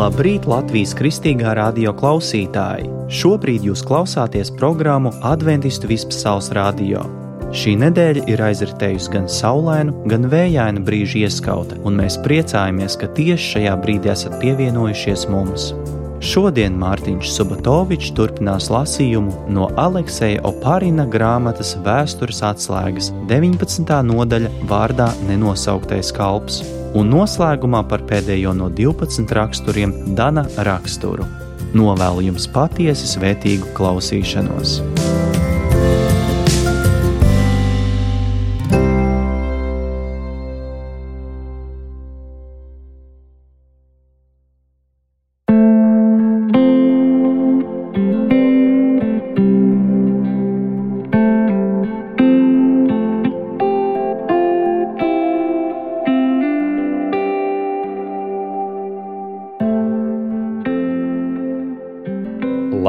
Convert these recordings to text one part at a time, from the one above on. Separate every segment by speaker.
Speaker 1: Labrīt, Latvijas Kristīgā radio klausītāji! Šobrīd jūs klausāties programmu Adventistu Vispasaules radio. Šī nedēļa ir aizritējusi gan saulainu, gan vējainu brīžu ieskauta, un mēs priecājamies, ka tieši šajā brīdī esat pievienojušies mums. Šodien Mārtiņš Subotovičs turpinās lasījumu no Alekseja Oparina grāmatas Vēstures atslēgas 19. nodaļa vārdā Nenosauktais kalps, un noslēgumā par pēdējo no 12 raksturiem Dana raksturu. Novēlu jums patiesi svētīgu klausīšanos.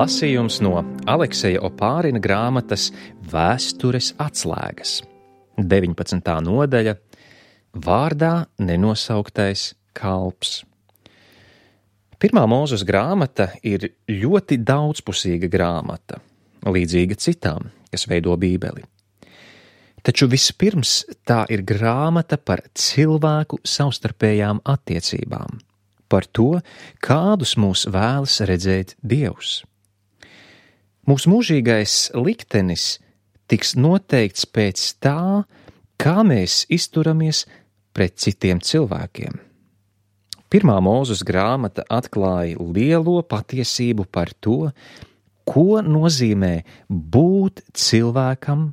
Speaker 2: Lasījums no Alekseja Opārina grāmatas Vēstures atslēgas, 19. nodaļa, vārdā Nenosauktais kalps. Pirmā Mūzes grāmata ir ļoti daudzpusīga grāmata, līdzīga citām, kas veido Bībeli. Taču vispirms tā ir grāmata par cilvēku savstarpējām attiecībām, par to, kādus mūs vēlas redzēt Dievs. Mūsu mūžīgais liktenis tiks noteikts pēc tā, kā mēs izturamies pret citiem cilvēkiem. Pirmā Mūzes grāmata atklāja lielo patiesību par to, ko nozīmē būt cilvēkam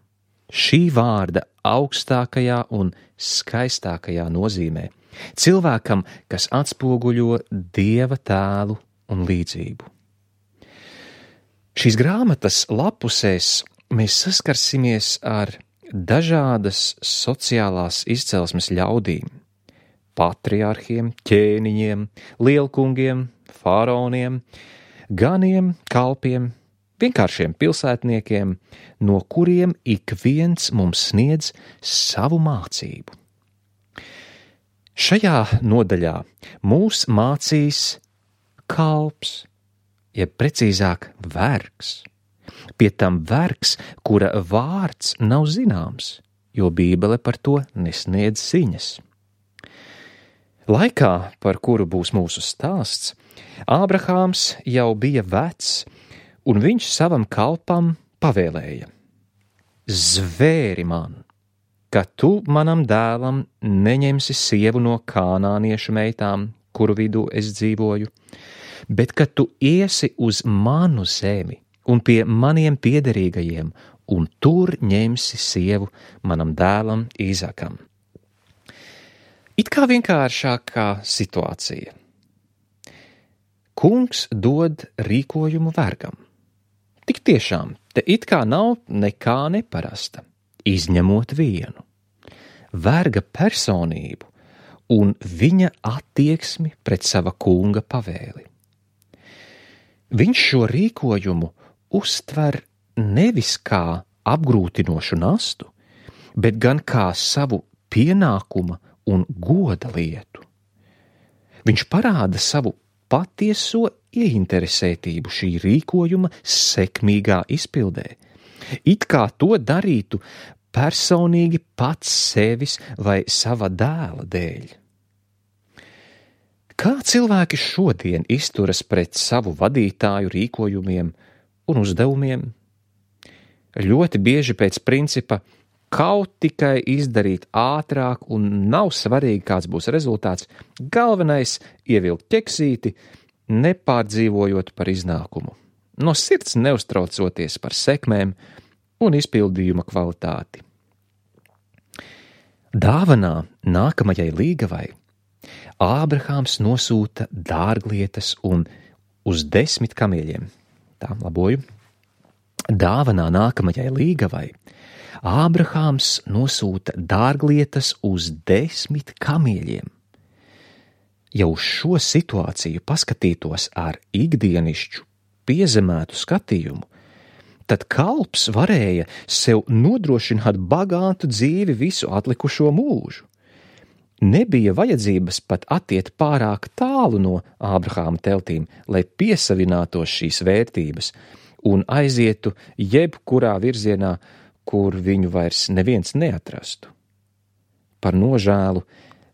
Speaker 2: šī vārda augstākajā un skaistākajā nozīmē. Cilvēkam, kas atspoguļo Dieva tēlu un līdzību. Šīs grāmatas lapusēs mēs saskarsimies ar dažādas sociālās izcelsmes ļaudīm, patriarhiem, ķēniņiem, lielkungiem, faraoniem, ganiem, kalpiem, vienkāršiem pilsētniekiem, no kuriem ik viens mums sniedz savu mācību. Šajā nodaļā mūs mācīs kalps, jeb precīzāk vergs. Pie tam vergs, kura vārds nav zināms, jo Bībele par to nesniedz ziņas. Laikā, par kuru būs mūsu stāsts, Ābrahāms jau bija vecs, un viņš savam kalpam pavēlēja: Zvēri man, ka tu manam dēlam neņemsi sievu no kānāniešu meitām, kuru vidū es dzīvoju, bet ka tu iesi uz manu zemi un pie maniem piederīgajiem, un tur ņemsi sievu manam dēlam Īzakam. It kā vienkāršākā situācija. Kungs dod rīkojumu vergam. Tik tiešām, te it kā nav nekā neparasta, izņemot vienu – verga personību un viņa attieksmi pret sava kunga pavēli. Viņš šo rīkojumu uztver nevis kā apgrūtinošu nastu, bet gan kā savu pienākuma un goda lietu. Viņš parāda savu patieso ieinteresētību šī rīkojuma sekmīgā izpildē, it kā to darītu personīgi pats sevis vai sava dēla dēļ. Kā cilvēki šodien izturas pret savu vadītāju rīkojumiem un uzdevumiem? Ļoti bieži pēc principa kaut tikai izdarīt ātrāk un nav svarīgi, kāds būs rezultāts, galvenais ievilkt ķeksīti, nepārdzīvojot par iznākumu, no sirds neuztraucoties par sekmēm un izpildījuma kvalitāti. Dāvanā nākamajai līgavai Ābrahāms nosūta dārglietas un uz 10 kamieļiem. Dāvanā nākamajai līgavai Ābrahāms nosūta dārglietas uz 10 kamieļiem. Ja uz šo situāciju paskatītos ar ikdienišķu, piezemētu skatījumu, tad kalps varēja sev nodrošināt bagātu dzīvi visu atlikušo mūžu. Nebija vajadzības pat attiet pārāk tālu no Ābrahāma teltīm, lai piesavinātos šīs vērtības un aizietu jebkurā virzienā, kur viņu vairs neviens neatrastu. Par nožēlu,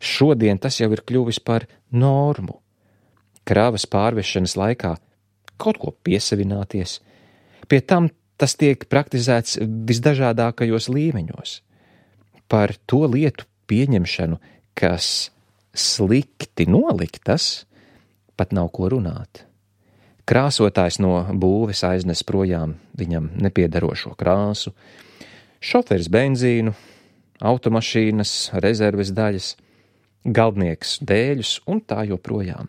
Speaker 2: šodien tas jau ir kļuvis par normu. Kravas pārvešanas laikā kaut ko piesavināties, pie tam tas tiek praktizēts visdažādākajos līmeņos. Par to lietu pieņemšanu, kas slikti noliktas, pat nav ko runāt. Krāsotājs no būves aiznes projām viņam nepiederošo krāsu, šoferis benzīnu, automašīnas, rezerves daļas, galdnieks dēļus un tā joprojām.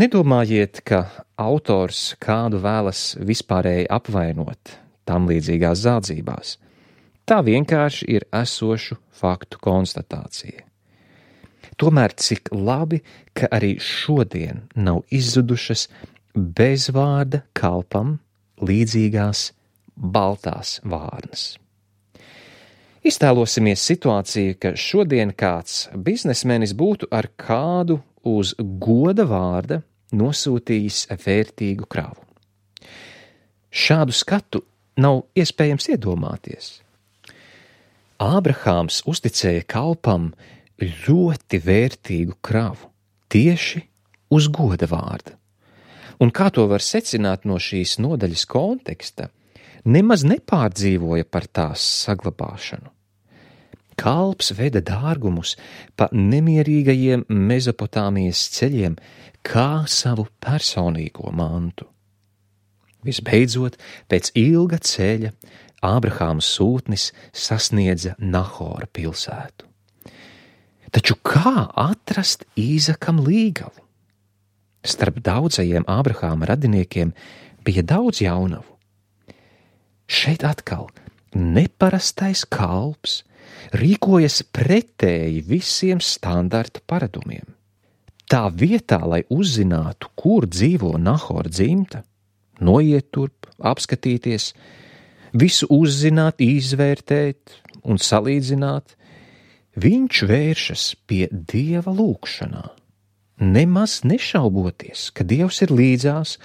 Speaker 2: Nedomājiet, ka autors kādu vēlas vispārēji apvainot tam līdzīgās zādzībās. Tā vienkārši ir esošu faktu konstatācija. Tomēr cik labi, ka arī šodien nav izzudušas bezvārda kalpam līdzīgās baltās vārnas. Iztēlosimies situāciju, ka šodien kāds biznesmenis būtu ar kādu uz goda vārda nosūtījis vērtīgu kravu. Šādu skatu nav iespējams iedomāties. Ābrahāms uzticēja kalpam ļoti vērtīgu kravu, tieši uz goda vārda. Un kā to var secināt no šīs nodaļas konteksta, nemaz nepārdzīvoja par tās saglabāšanu. Kalps veda dārgumus pa nemierīgajiem Mezopotāmijas ceļiem kā savu personīgo mantu. Visbeidzot, pēc ilga ceļa Ābrahāma sūtnis sasniedza Nahora pilsētu. Taču kā atrast Īzakam līgavu? Starp daudzajiem Ābrahāma radiniekiem bija daudz jaunavu. Šeit atkal neparastais kalps rīkojas pretēji visiem standarta paradumiem. Tā vietā, lai uzzinātu, kur dzīvo Nahora dzimta, noiet turp, apskatīties, visu uzzināt, izvērtēt un salīdzināt, viņš vēršas pie Dieva lūgšanā, nemaz nešauboties, ka Dievs ir līdzās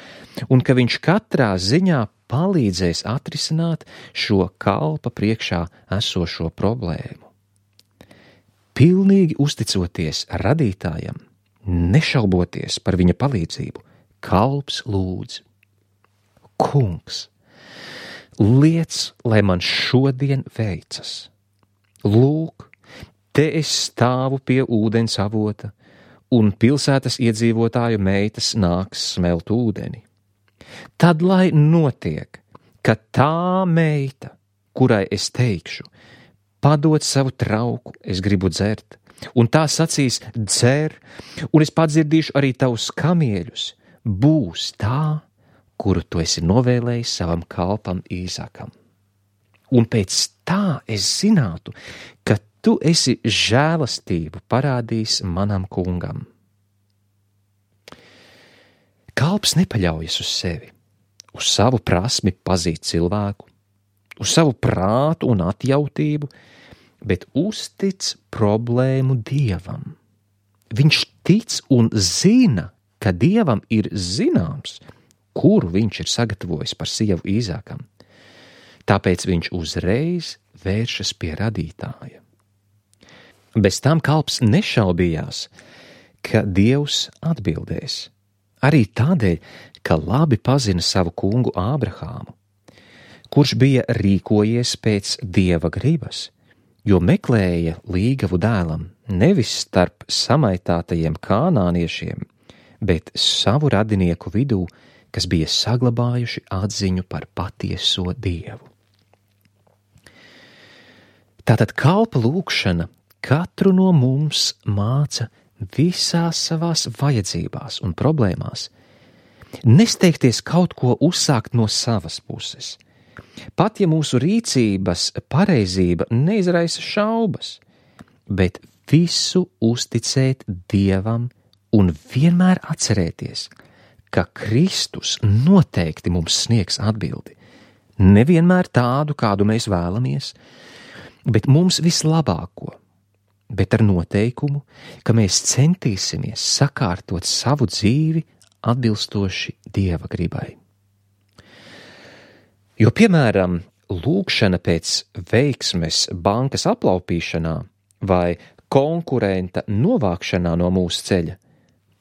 Speaker 2: un ka viņš katrā ziņā palīdzēs atrisināt šo kalpa priekšā esošo problēmu. Pilnīgi uzticoties radītājam, nešauboties par viņa palīdzību, kalps lūdz: Kungs, liec, lai man šodien veicas. Lūk, te es stāvu pie ūdens avota, un pilsētas iedzīvotāju meitas nāks smelt ūdeni. Tad lai notiek, ka tā meita, kurai es teikšu, padod savu trauku, es gribu dzert, un tā sacīs: dzer, un es padzirdīšu arī tavus kamieļus, būs tā, kuru tu esi novēlējis savam kalpam Īzakam. Un pēc tā es zinātu, ka tu esi žēlastību parādījis manam kungam. Kalps nepaļaujas uz sevi, uz savu prasmi pazīt cilvēku, uz savu prātu un atjautību, bet uztic problēmu Dievam. Viņš tic un zina, ka Dievam ir zināms, kuru viņš ir sagatavojis par sievu Īzakam. Tāpēc viņš uzreiz vēršas pie radītāja. Bez tam kalps nešaubījās, ka Dievs atbildēs. Arī tādēļ, ka labi pazina savu kungu Ābrahāmu, kurš bija rīkojies pēc Dieva gribas, jo meklēja līgavu dēlam nevis starp samaitātajiem kānāniešiem, bet savu radinieku vidū, kas bija saglabājuši atziņu par patieso Dievu. Tātad kalpa lūgšana katru no mums māca visās savās vajadzībās un problēmās nesteigties kaut ko uzsākt no savas puses. Pat ja mūsu rīcības pareizība neizraisa šaubas, bet visu uzticēt Dievam un vienmēr atcerēties, ka Kristus noteikti mums sniegs atbildi. Nevienmēr tādu, kādu mēs vēlamies, bet mums vislabāko. bet ar noteikumu, ka mēs centīsimies sakārtot savu dzīvi atbilstoši Dieva gribai. Jo, piemēram, lūgšana pēc veiksmes bankas aplaupīšanā vai konkurenta novākšanā no mūsu ceļa,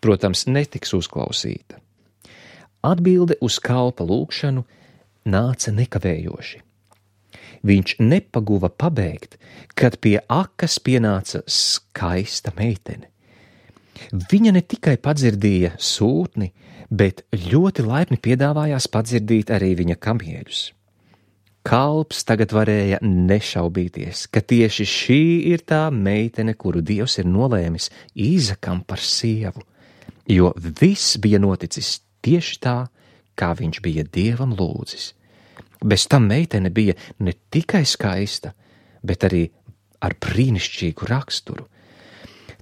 Speaker 2: protams, netiks uzklausīta. Atbilde uz kalpa lūgšanu nāca nekavējoši. Viņš nepaguva pabeigt, kad pie akas pienāca skaista meitene. Viņa ne tikai padzirdīja sūtni, bet ļoti laipni piedāvājās padzirdīt arī viņa kamieļus. Kalps tagad varēja nešaubīties, ka tieši šī ir tā meitene, kuru Dievs ir nolēmis Īzakam par sievu, jo viss bija noticis tieši tā, kā viņš bija Dievam lūdzis. Bez tam meitene bija ne tikai skaista, bet arī ar brīnišķīgu raksturu.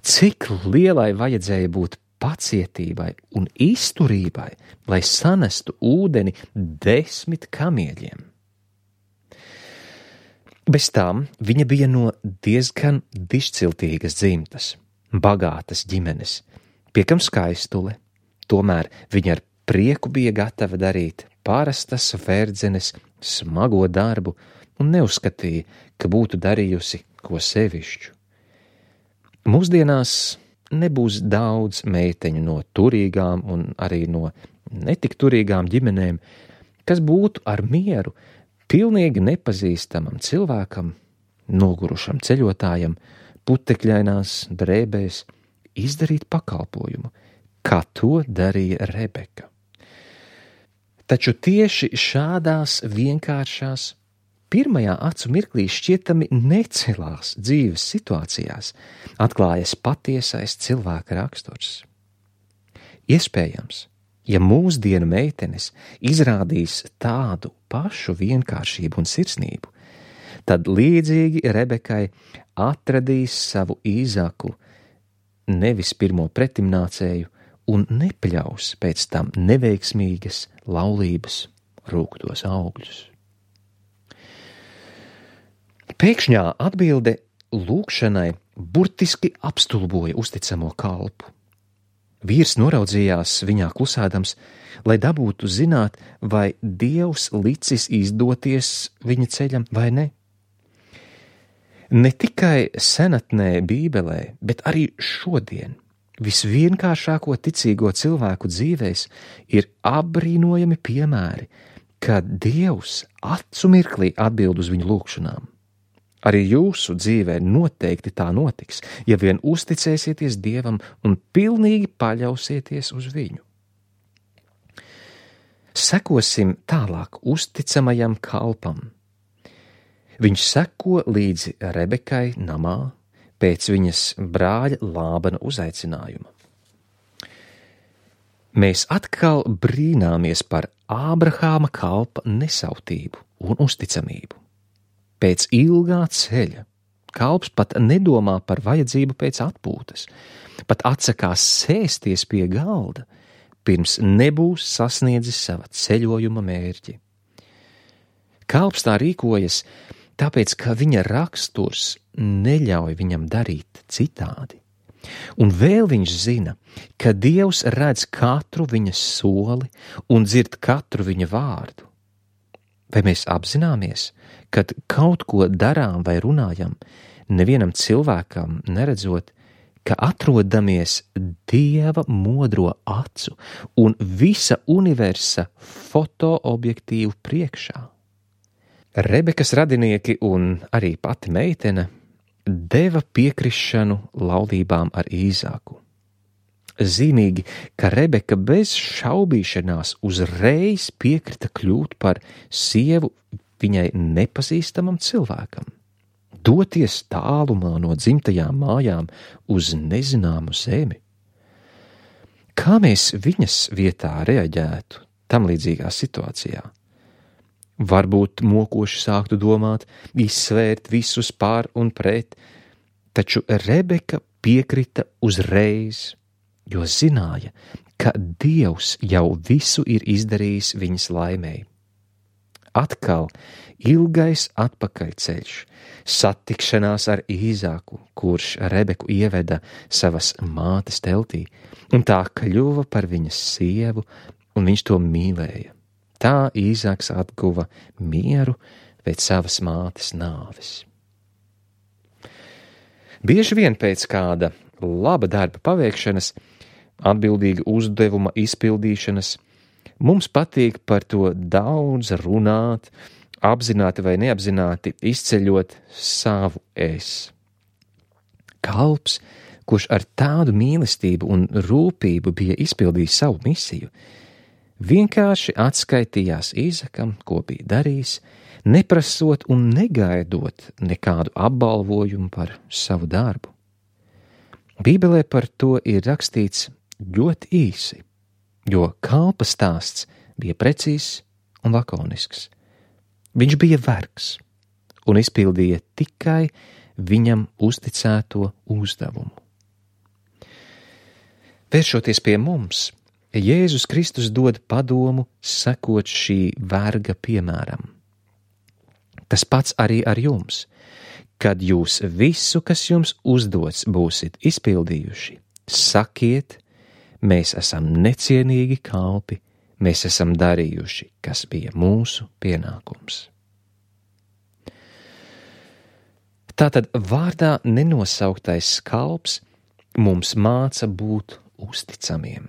Speaker 2: Cik lielai vajadzēja būt pacietībai un izturībai, lai sanestu ūdeni 10 kamieļiem. Bez tām viņa bija no diezgan dišciltīgas dzimtas, bagātas ģimenes, piekam skaistule, tomēr viņa ar prieku bija gatava darīt parastas verdzenes smago darbu un neuzskatīja, ka būtu darījusi ko sevišķu. Mūsdienās nebūs daudz meiteņu no turīgām un arī no netik turīgām ģimenēm, kas būtu ar mieru pilnīgi nepazīstamam cilvēkam, nogurušam ceļotājam, putekļainās drēbēs izdarīt pakalpojumu, kā to darīja Rebeka. Taču tieši šādās vienkāršās, pirmajā acu mirklī šķietami necelās dzīves situācijās atklājas patiesais cilvēka raksturs. Iespējams, ja mūsdienu meitenes izrādīs tādu pašu vienkāršību un sirsnību, tad līdzīgi Rebekai atradīs savu Īzaku, nevis pirmo pretimnācēju, un nepļaus pēc tam neveiksmīgas laulības rūgtos augļus. Pēkšņā atbilde lūgšanai burtiski apstulboja uzticamo kalpu. Vīrs noraudzījās viņā klusēdams, lai dabūtu zināt, vai Dievs licis izdoties viņa ceļam vai ne. Ne tikai senatnē Bībelē, bet arī šodien visvienkāršāko ticīgo cilvēku dzīvēs ir apbrīnojami piemēri, kad Dievs acu mirklī atbild uz viņu lūgšanām. Arī jūsu dzīvē noteikti tā notiks, ja vien uzticēsieties Dievam un pilnīgi paļausieties uz viņu. Sekosim tālāk uzticamajam kalpam. Viņš seko līdzi Rebekai namā pēc viņas brāļa Lābana uzaicinājuma. Mēs atkal brīnāmies par Ābrahāma kalpa nesautību un uzticamību. Pēc ilgā ceļa kalps pat nedomā par vajadzību pēc atpūtas, pat atsakās sēsties pie galda, pirms nebūs sasniedzis sava ceļojuma mērķi. Kalps tā rīkojas, tāpēc, ka viņa raksturs neļauj viņam darīt citādi. Un vēl viņš zina, ka Dievs redz katru viņa soli un dzird katru viņa vārdu. Vai mēs apzināmies, kad kaut ko darām vai runājam, nevienam cilvēkam neredzot, ka atrodamies Dieva modro acu un visa universa fotoobjektīvu priekšā? Rebekas radinieki un arī pati meitene deva piekrišanu laulībām ar Īzaku. Zīmīgi, ka Rebeka bez šaubīšanās uzreiz piekrita kļūt par sievu viņai nepazīstamam cilvēkam, doties tālumā no dzimtajām mājām uz nezināmu zemi. Kā mēs viņas vietā reaģētu tam līdzīgā situācijā? Varbūt mokoši sāktu domāt, izsvērt visus pār un pret, taču Rebeka piekrita uzreiz, jo zināja, ka Dievs jau visu ir izdarījis viņas laimei. atkal ilgais atpakaļceļš, satikšanās ar Īzāku, kurš Rebeku ieveda savas mātes teltī, un tā kļuva par viņas sievu, un viņš to mīlēja. Tā Īzāks atguva mieru pēc savas mātes nāves. Bieži vien pēc kāda laba darba paveikšanas, atbildīga uzdevuma izpildīšanas, mums patīk par to daudz runāt, apzināti vai neapzināti izceļot savu es. Kalps, kurš ar tādu mīlestību un rūpību bija izpildījis savu misiju, vienkārši atskaitījās Īzakam, ko bija darījis, neprasot un negaidot nekādu apbalvojumu par savu darbu. Bībelē par to ir rakstīts ļoti īsi, jo kalpa stāsts bija precīzs un lakonisks. Viņš bija vergs un izpildīja tikai viņam uzticēto uzdevumu. Vēršoties pie mums, Jēzus Kristus dod padomu sekot šī verga piemēram. Tas pats arī ar jums, kad jūs visu, kas jums uzdots, būsit izpildījuši, sakiet, mēs esam necienīgi kalpi, mēs esam darījuši, kas bija mūsu pienākums. Tātad vārdā nenosauktais kalps mums māca būt uzticamiem,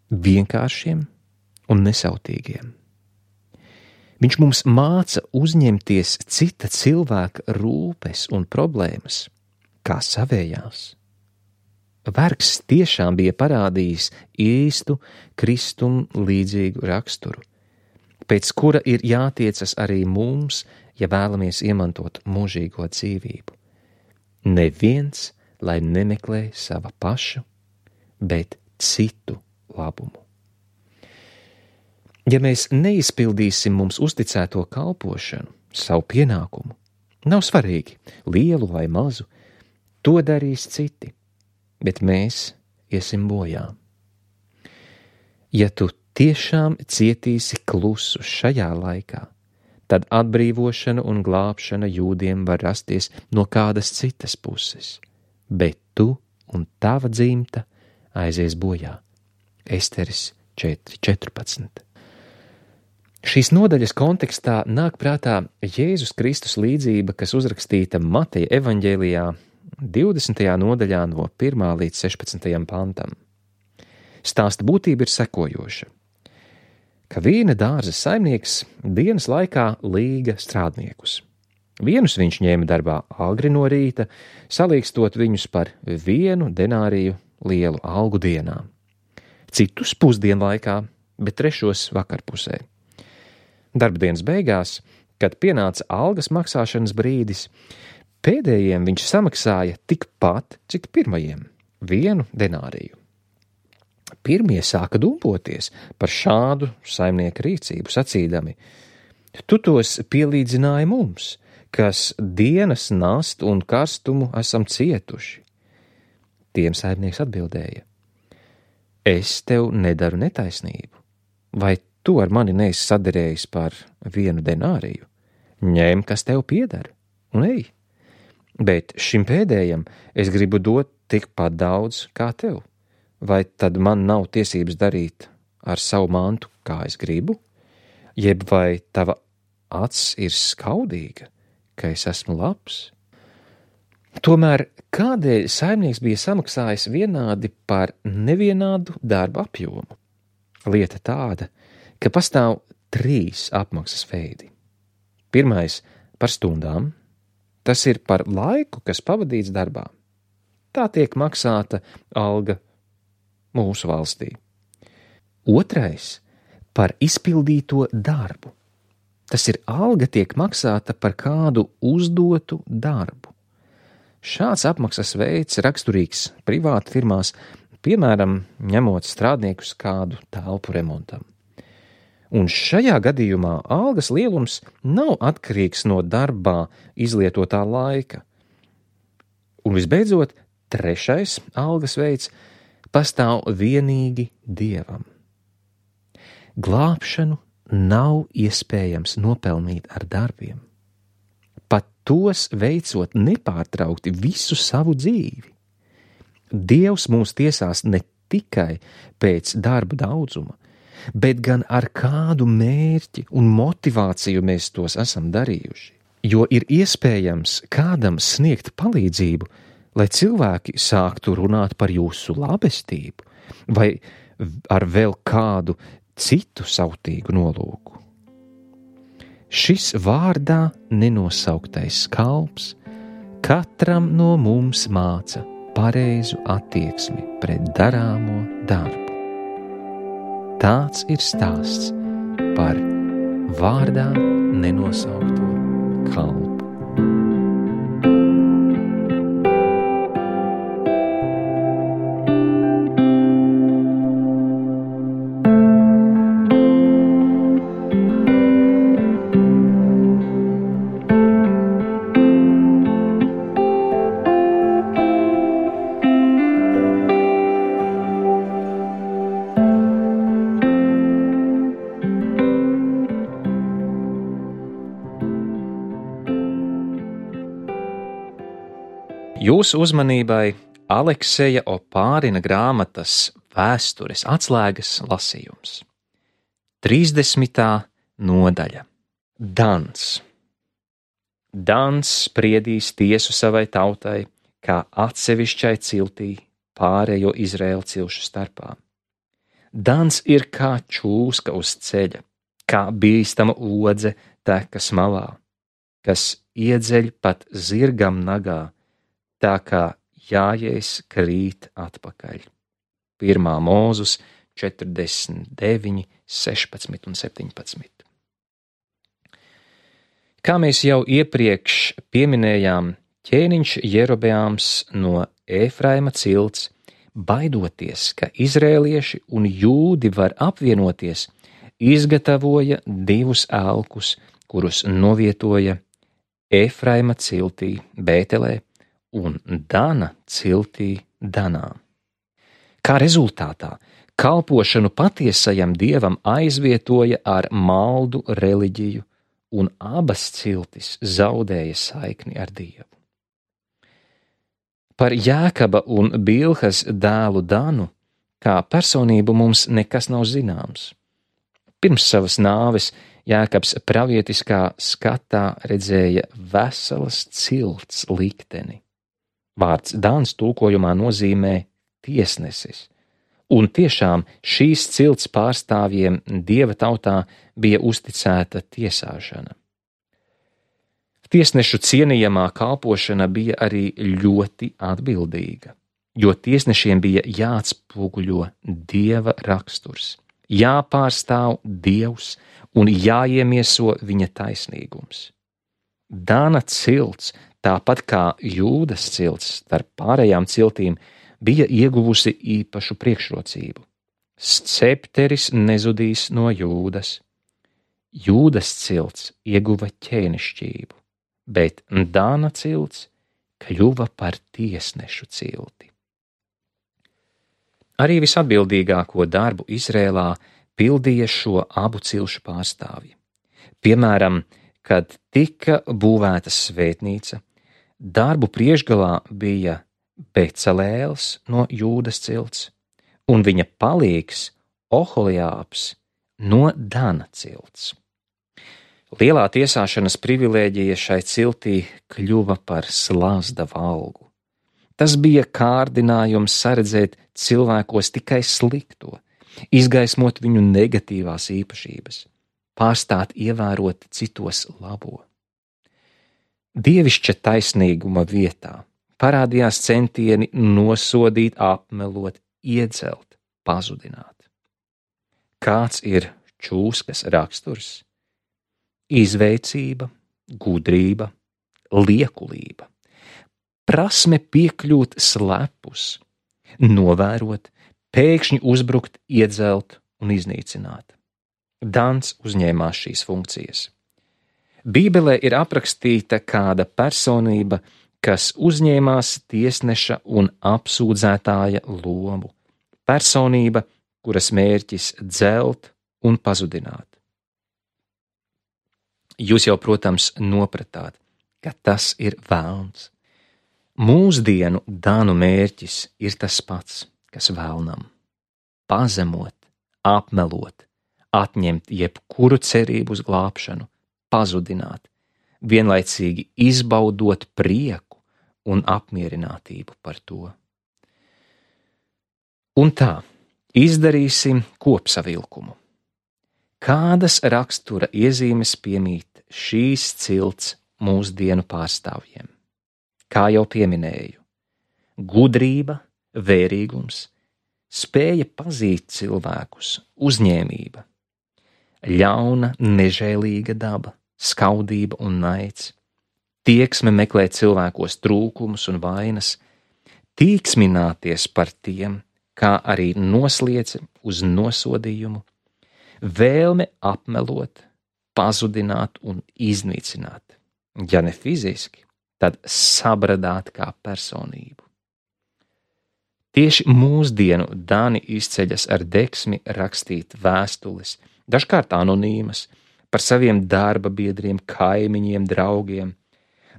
Speaker 2: vienkāršiem un nesautīgiem. Viņš mums māca uzņemties cita cilvēka rūpes un problēmas, kā savējās. Vergs tiešām bija parādījis īstu Kristum līdzīgu raksturu, pēc kura ir jātiecas arī mums, ja vēlamies iemantot mūžīgo dzīvību. Neviens, lai nemeklē sava paša, bet citu labumu. Ja mēs neizpildīsim mums uzticēto kalpošanu, savu pienākumu, nav svarīgi, lielu vai mazu, to darīs citi, bet mēs iesim bojā. Ja tu tiešām cietīsi klusu šajā laikā, tad atbrīvošana un glābšana jūdiem var rasties no kādas citas puses, bet tu un tava dzimta aizies bojā. Esteris 4.14. Šīs nodaļas kontekstā nāk prātā Jēzus Kristus līdzība, kas uzrakstīta Mateja evaņģēlijā 20. nodaļā no 1. līdz 16. pantam. Stāsta būtība ir sekojoša, ka vīna dārza saimnieks dienas laikā līga strādniekus. Vienus viņš ņēma darbā agri no rīta, salīgstot viņus par 1 denāriju lielu algu dienā. Citus pusdienlaikā, bet 3. vakarpusē. Darba dienas beigās, kad pienāca algas maksāšanas brīdis, pēdējiem viņš samaksāja tikpat, cik pirmajiem – 1 denāriju. Pirmie sāka dumpoties par šādu saimnieka rīcību, sacīdami: tu tos pielīdzināji mums, kas dienas nastu un karstumu esam cietuši. Tiem saimnieks atbildēja: es tev nedaru netaisnību, vai tu ar mani neesi saderējis par 1 denāriju? Ņem, kas tev pieder, un ej. Bet šim pēdējam es gribu dot tikpat daudz kā tev. Vai tad man nav tiesības darīt ar savu mantu, kā es gribu? Jeb vai tava acs ir skaudīga, ka es esmu labs? Tomēr kādēļ saimnieks bija samaksājis vienādi par nevienādu darba apjomu? Lieta tāda, ka pastāv 3 apmaksas veidi. Pirmais par stundām, tas ir par laiku, kas pavadīts darbā. Tā tiek maksāta alga mūsu valstī. Otrais par izpildīto darbu. Tas ir alga tiek maksāta par kādu uzdotu darbu. Šāds apmaksas veids raksturīgs privāti firmās, piemēram, ņemot strādniekus kādu telpu remontam. Un šajā gadījumā algas lielums nav atkarīgs no darbā izlietotā laika. Un visbeidzot, 3. algas veids pastāv vienīgi Dievam. Glābšanu nav iespējams nopelnīt ar darbiem, pat tos veicot nepārtraukti visu savu dzīvi. Dievs mūs tiesās ne tikai pēc darba daudzuma, bet gan ar kādu mērķi un motivāciju mēs tos esam darījuši. Jo ir iespējams kādam sniegt palīdzību, lai cilvēki sāktu runāt par jūsu labestību vai ar vēl kādu citu sautīgu nolūku. Šis vārdā nenosauktais kalps katram no mums māca pareizu attieksmi pret darāmo darbu. Tāds ir stāsts par vārdā nenosaukto kalpu. Jūsu uzmanībai Alekseja Opārina grāmatas Vēstures atslēgas lasījums. 30. nodaļa. Dans. Dans spriedīs tiesu savai tautai, kā atsevišķai ciltī pārējo Izraēlu cilšu starpā. Dans ir kā čūska uz ceļa, kā bīstama odze tekas malā, kas iedzeļ pat zirgam nagā, tā kā jājējs krīt atpakaļ. 1. Mūzus 49, 16 un 17. Kā mēs jau iepriekš pieminējām, ķēniņš Jerobeāms no Ēfraima cilts, baidoties, ka izrēlieši un jūdi var apvienoties, izgatavoja 2 elkus, kurus novietoja Ēfraima ciltī Bētelē un Dana ciltī Danā. Kā rezultātā kalpošanu patiesajam dievam aizvietoja ar maldu reliģiju, un abas ciltis zaudēja saikni ar Dievu. Par Jēkaba un Bilhas dēlu Danu kā personību mums nekas nav zināms. Pirms savas nāves Jēkabs pravietiskā skatā redzēja veselas cilts likteni. Vārds Dans tulkojumā nozīmē tiesnesis, un tiešām šīs cilts pārstāvjiem Dieva tautā bija uzticēta tiesāšana. Tiesnešu cienījamā kalpošana bija arī ļoti atbildīga, jo tiesnešiem bija jāatspoguļo Dieva raksturs, jāpārstāv Dievs un jāiemieso viņa taisnīgums. Dana cilts, tāpat kā Jūdas cilts starp pārējām ciltīm, bija ieguvusi īpašu priekšrocību. Scepteris nezudīs no Jūdas. Jūdas cilts ieguva ķēnišķību, bet Dana cilts kļuva par tiesnešu cilti. Arī visatbildīgāko darbu Izrēlā pildīja šo abu cilšu pārstāvji. Piemēram, kad tika būvēta svētnīca, darbu priekšgalā bija Becelēls no Jūdas cilts un viņa palīgs Oholiābs no Dana cilts. Lielā tiesāšanas privilēģija šai ciltī kļuva par slazda valgu. Tas bija kārdinājums saredzēt cilvēkos tikai slikto, izgaismot viņu negatīvās īpašības, pārstāt ievērot citos labo. Dievišķa taisnīguma vietā parādījās centieni nosodīt, apmelot, iedzelt, pazudināt. Kāds ir čūskas raksturs? Izveicība, gudrība, liekulība, prasme piekļūt slepus, novērot, pēkšņi uzbrukt, iedzelt un iznīcināt. Dans uzņēmās šīs funkcijas. Bībelē ir aprakstīta kāda personība, kas uzņēmās tiesneša un apsūdzētāja lomu. Personība, kuras mērķis dzelt un pazudināt. Jūs jau, protams, nopratāt, ka tas ir velns. Mūsdienu dānu mērķis ir tas pats, kas velnam – pazemot, apmelot, atņemt jebkuru cerību uz glābšanu, pazudināt, vienlaicīgi izbaudot prieku un apmierinātību par to. Un tā, izdarīsim kopsavilkumu. Kādas rakstura iezīmes piemīt šīs cilts mūsdienu pārstāvjiem? Kā jau pieminēju, gudrība, vērīgums, spēja pazīt cilvēkus, uzņēmība, ļauna, nežēlīga daba, skaudība un naids, tieksme meklēt cilvēkos trūkumus un vainas, tīksmināties par tiem, kā arī nosliece uz nosodījumu, vēlme apmelot, pazudināt un iznīcināt, ja ne fiziski, tad sabradāt kā personību. Tieši mūsdienu dāni izceļas ar deksmi rakstīt vēstules, dažkārt anonīmas, par saviem darba biedriem, kaimiņiem, draugiem,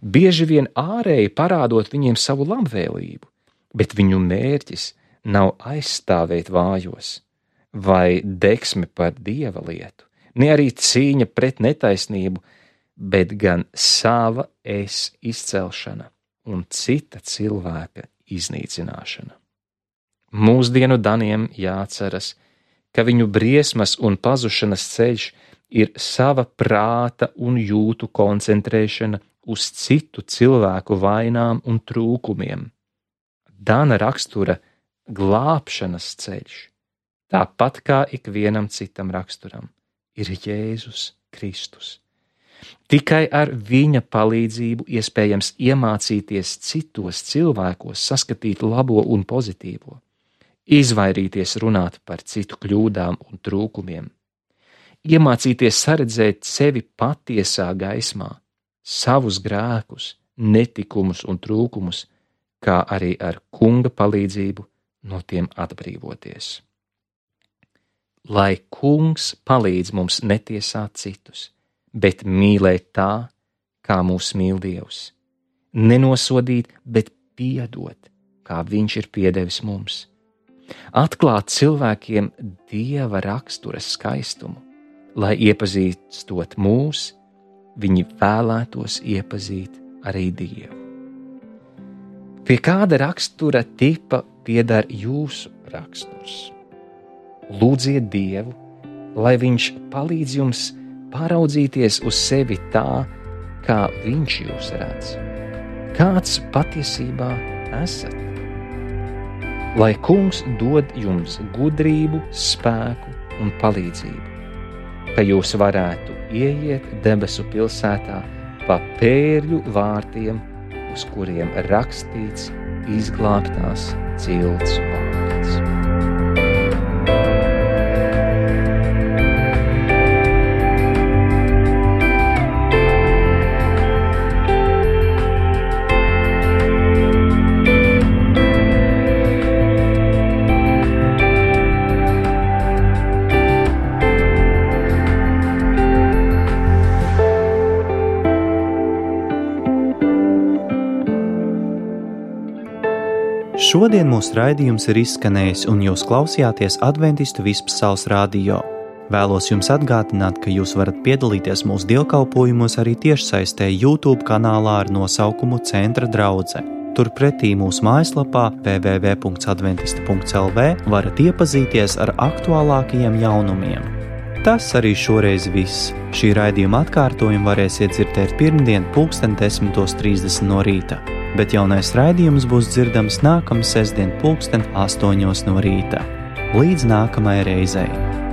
Speaker 2: bieži vien ārēji parādot viņiem savu labvēlību, bet viņu mērķis nav aizstāvēt vājos, vai deksme par dieva lietu, ne arī cīņa pret netaisnību, bet gan sava es izcelšana un cita cilvēka iznīcināšana. Mūsdienu daniem jāatceras, ka viņu briesmas un pazušanas ceļš ir sava prāta un jūtu koncentrēšana uz citu cilvēku vainām un trūkumiem. Dana rakstura glābšanas ceļš, tāpat kā ikvienam citam raksturam, ir Jēzus Kristus. Tikai ar viņa palīdzību iespējams iemācīties citos cilvēkos saskatīt labo un pozitīvo, izvairīties runāt par citu kļūdām un trūkumiem, iemācīties saredzēt sevi patiesā gaismā, savus grēkus, netikumus un trūkumus, kā arī ar Kunga palīdzību no tiem atbrīvoties. Lai Kungs palīdz mums netiesāt citus, bet mīlēt tā, kā mūs mīl Dievs, nenosodīt, bet piedot, kā Viņš ir piedevis mums, atklāt cilvēkiem Dieva rakstura skaistumu, lai iepazīstot mūs, viņi vēlētos iepazīt arī Dievu. Pie kāda rakstura tipa pieder jūsu raksturs? Lūdziet Dievu, lai Viņš palīdz jums paraudzīties uz sevi tā, kā Viņš jūs redz. Kāds patiesībā esat? Lai Kungs dod jums gudrību, spēku un palīdzību, ka jūs varētu ieiet debesu pilsētā pa pērļu vārtiem, uz kuriem rakstīts izglābtās cilts vārds.
Speaker 1: Šodien mūsu raidījums ir izskanējis, un jūs klausījāties Adventistu Vispasaules radio. Vēlos jums atgādināt, ka jūs varat piedalīties mūsu dievkalpojumos arī tiešsaistē YouTube kanālā ar nosaukumu Centra draudze. Turpretī mūsu mājaslapā www.adventista.lv varat iepazīties ar aktuālākajiem jaunumiem. Tas arī šoreiz viss. Šī raidījuma atkārtojumu varēsiet dzirdēt pirmdien 10:30 no rīta, bet jaunais raidījums būs dzirdams nākamā sestdien 8:00 no rīta. Līdz nākamajai reizei!